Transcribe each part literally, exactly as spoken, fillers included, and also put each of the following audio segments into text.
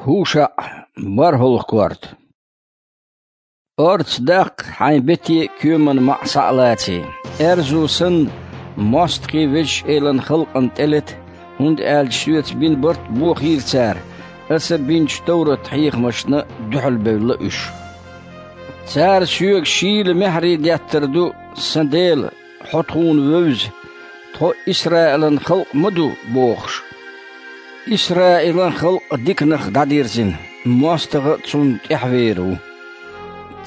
ХӀушаӀ, бархӀалгӀа корта. Орца даккха хьайн бете а, коьман маӀа схьа а лаций. Аьрзу санна, мостагӀий Везачу Элан халкъана тӀелета, хӀунда аьлча соьца бина барт бохийра цара, аса бинчу товрат-хьехамашна дуьхьалбевлла уьш. Цара соьга шийла маьхьарий деттар ду: «Сан Дела, хьо тхуна вевза, тхо Исраилан халкъ ма ду», – бохуш. Исраилан халкъ диканах дӀадирзина, мостагӀа а цунна тӀаьхьавер ву.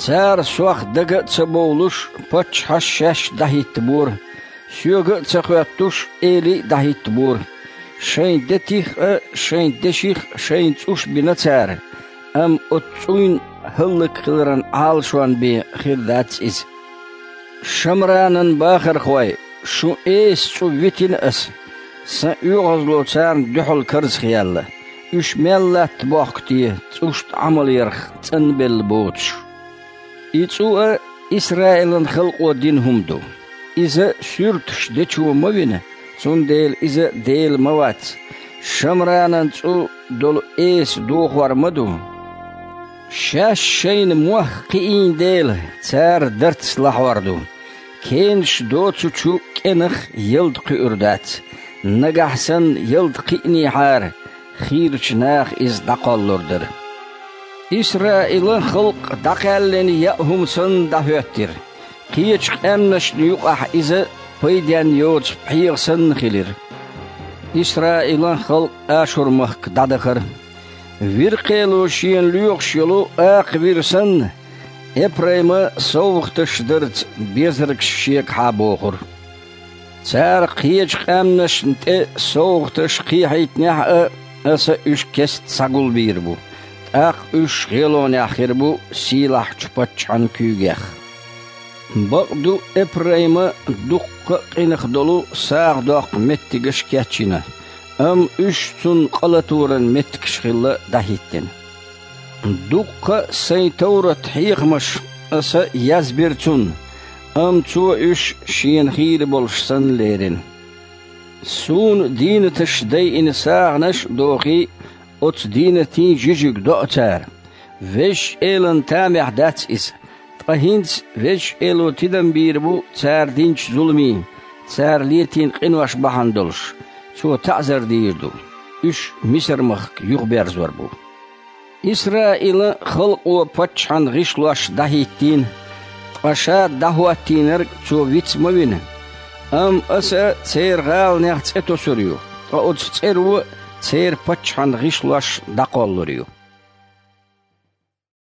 Цара сох дага а ца бовлуш, паччахьаш шаьш дӀахӀиттабора, соьга а ца хоьттуш, элий а дӀахӀиттабора. Шайн детих а, шайн деших а шайна цӀуш бина цара, амма оцу цӀуйн хӀаллакьхиларан Ӏалашон бен хир дац иза. Шамранан бахархой, шун эса цӀу витина аса, сан оьгӀазло царна дуьхьал карзахъяьлла, уьш мел латта бохку те, цӀушна Ӏамал ярх цӀанбелла боцуш. И цӀу а Исраилан халкъо дина хӀума ду. Иза суьрташ дечо ма вина, цундела иза Дела ма вац. Шамранан цӀу долу эса дохор ма ду. Шаьш шайна мох кхиийна дела, цара дарц лахьор ду. Кенаш доцучу кӀенах ялта кхуьур дац. Нагахь санна ялта кхиънехьара, хийрачу наха иза дӀакхоллалур дара. Исраилан халкъ дӀакхаьллина яа хӀума санна дӀахӀоьттира. Кхечу къаьмнашна юкъахь иза пайденна йоцу пхьегӀа санна хилира. Исраилан халкъ Ашур-махка дӀадахара. Вир-кхело шена лоьхуш йолу акха вир санна, Эпрайма совгӀаташ дарца безаргаш шегахьа бохура. Цара кхечу къаьмнашна тӀе совгӀаташ кхехьийтинехь а, аса уьш кеста схьагулбийр бу, тӀаккха уьш гӀелонехь хир бу сийлахьчу паччахьан куьйгех. Бакъду, Эпрайма дуккха а къинах долу сагӀа доккху меттигаш кечйина, амма уьш цунна къа латоран меттигаш хилла дӀахӀиттина. Дуккха а сайн товрат-хьехамаш аса язбира цунна, амма цо уьш шена хийра болуш санна лерина. Суна дийнаташ дайина сагӀанаш а дохий, оцу дийнатийн жижиг доӀу цара. Везачу Элан тамехь дац иза, ткъа хӀинца Везачу Эло тидам бийр бу цара динчу зуламийн, цара летийна къинош бахьана долуш, Цо таӀзар дийр ду, уьш Мисар-махка юхаберзор бу. Исраилан халкъо паччахьан гӀишлош дӀахӀиттийна, ткъа ша дӀахӀоттийнарг цо виц ма вина. Амма аса церан гӀаланех цӀе тосур ю, ткъа оцу цӀеро церан паччахьан гӀишлош дӀакхоллалур ю.